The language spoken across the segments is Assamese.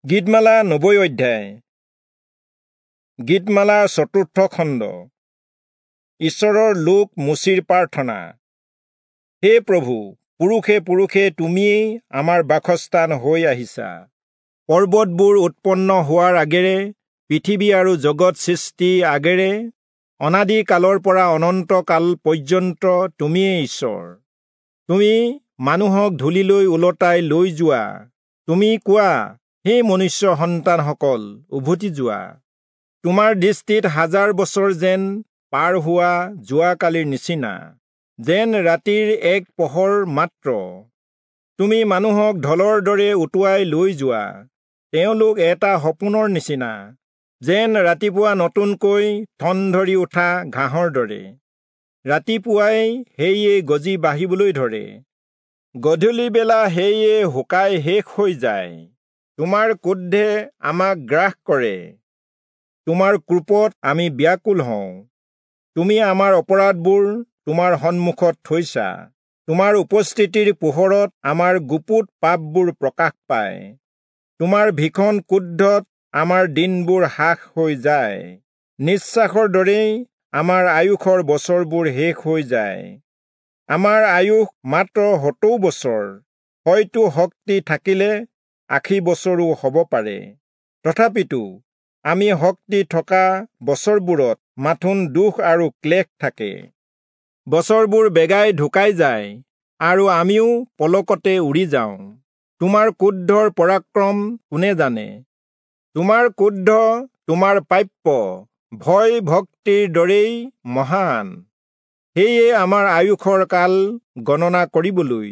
গীতমালা 90 অধ্যায়। গীতমালা চতুৰ্থ খণ্ড। ঈশ্বৰৰ লোক মোচিৰ প্ৰাৰ্থনা। হে প্ৰভু, পুৰুষে পুৰুষে তুমিয়েই আমাৰ বাসস্থান হৈ আহিছা। পৰ্বতবোৰ উৎপন্ন হোৱাৰ আগেৰে, পৃথিৱী আৰু জগত সৃষ্টি আগেৰে, অনাদি কালৰ পৰা অনন্ত কাল পৰ্যন্ত তুমিয়েই ঈশ্বৰ। তুমি মানুহক ধূলিলৈ ওলটাই লৈ যোৱা। তুমি কোৱা, হে মনুষ্য সন্তানসকল, উভতি যোৱা। তোমাৰ দৃষ্টিত হাজাৰ বছৰ যেন পাৰ হোৱা যোৱাকালিৰ নিচিনা, যেন ৰাতিৰ এক পহৰ মাত্ৰ। তুমি মানুহক ঢলৰ দৰে উটুৱাই লৈ যোৱা। তেওঁলোক এটা সপোনৰ নিচিনা, যেন ৰাতিপুৱা নতুনকৈ ঠন ধৰি উঠা ঘাঁহৰ দৰে। ৰাতিপুৱাই সেয়ে গজি বাঢ়িবলৈ ধৰে, গধূলিবেলা সেয়ে শুকাই শেষ হৈ যায়। তোমাৰ ক্ৰোধে আমাক গ্ৰাস কৰে, তোমাৰ ক্ৰোধত আমি ব্যাকুল হওঁ। তুমি আমাৰ অপৰাধবোৰ তোমাৰ সন্মুখত থৈছা। তোমাৰ উপস্থিতিৰ পোহৰত আমাৰ গুপুত পাপবোৰ প্ৰকাশ পায়। তোমাৰ ভীষণ ক্ৰোধত আমাৰ দিনবোৰ হ্ৰাস হৈ যায়, নিশ্বাসৰ দৰেই আমাৰ আয়ুসৰ বছৰবোৰ শেষ হৈ যায়। আমাৰ আয়ুস মাত্ৰ 70 বছৰ, হয়তো শক্তি থাকিলে 80 বছৰো হ'ব পাৰে। তথাপিতো আমি শক্তি থকা বছৰবোৰত মাথোন দুখ আৰু ক্লেশ থাকে। বছৰবোৰ বেগাই ঢুকাই যায় আৰু আমিও পলকতে উৰি যাওঁ। তোমাৰ ক্ৰোধৰ পৰাক্ৰম কোনে জানে? তোমাৰ ক্ৰোধ তোমাৰ প্ৰাপ্য ভয় ভক্তিৰ দৰেই মহান। সেয়ে আমাৰ আয়ুসৰ কাল গণনা কৰিবলৈ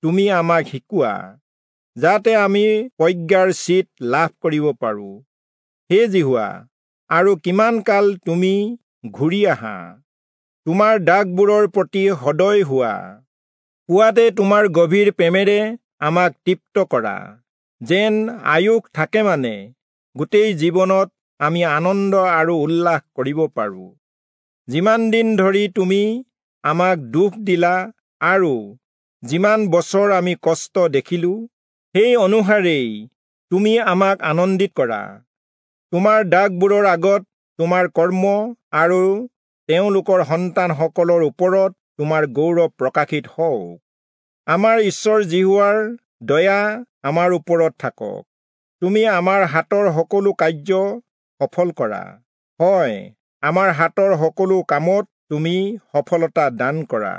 তুমি আমাক শিকোৱা, যাতে আমি প্ৰজ্ঞাৰ চিত লাভ কৰিব পাৰোঁ। হে যিহোৱা, আৰু কিমান কাল তুমি ঘূৰি আহা? তোমাৰ দাসবোৰৰ প্ৰতি সদয় হোৱা। পুৱাতে তোমাৰ গভীৰ প্ৰেমেৰে আমাক তৃপ্ত কৰা, যেন আয়ুস থাকে মানে গোটেই জীৱনত আমি আনন্দ আৰু উল্লাস কৰিব পাৰোঁ। যিমান দিন ধৰি তুমি আমাক দুখ দিলা আৰু যিমান বছৰ আমি কষ্ট দেখিলোঁ, সেই অনুসাৰেই তুমি আমাক আনন্দিত কৰা। তোমাৰ দাসবোৰৰ আগত তোমাৰ কৰ্ম আৰু তেওঁলোকৰ সন্তানসকলৰ ওপৰত তোমাৰ গৌৰৱ প্ৰকাশিত হওক। আমাৰ ঈশ্বৰ যিহোৱাৰ দয়া আমাৰ ওপৰত থাকক। তুমি আমাৰ হাতৰ সকলো কাৰ্য সফল কৰা। হয়, আমাৰ হাতৰ সকলো কামত তুমি সফলতা দান কৰা।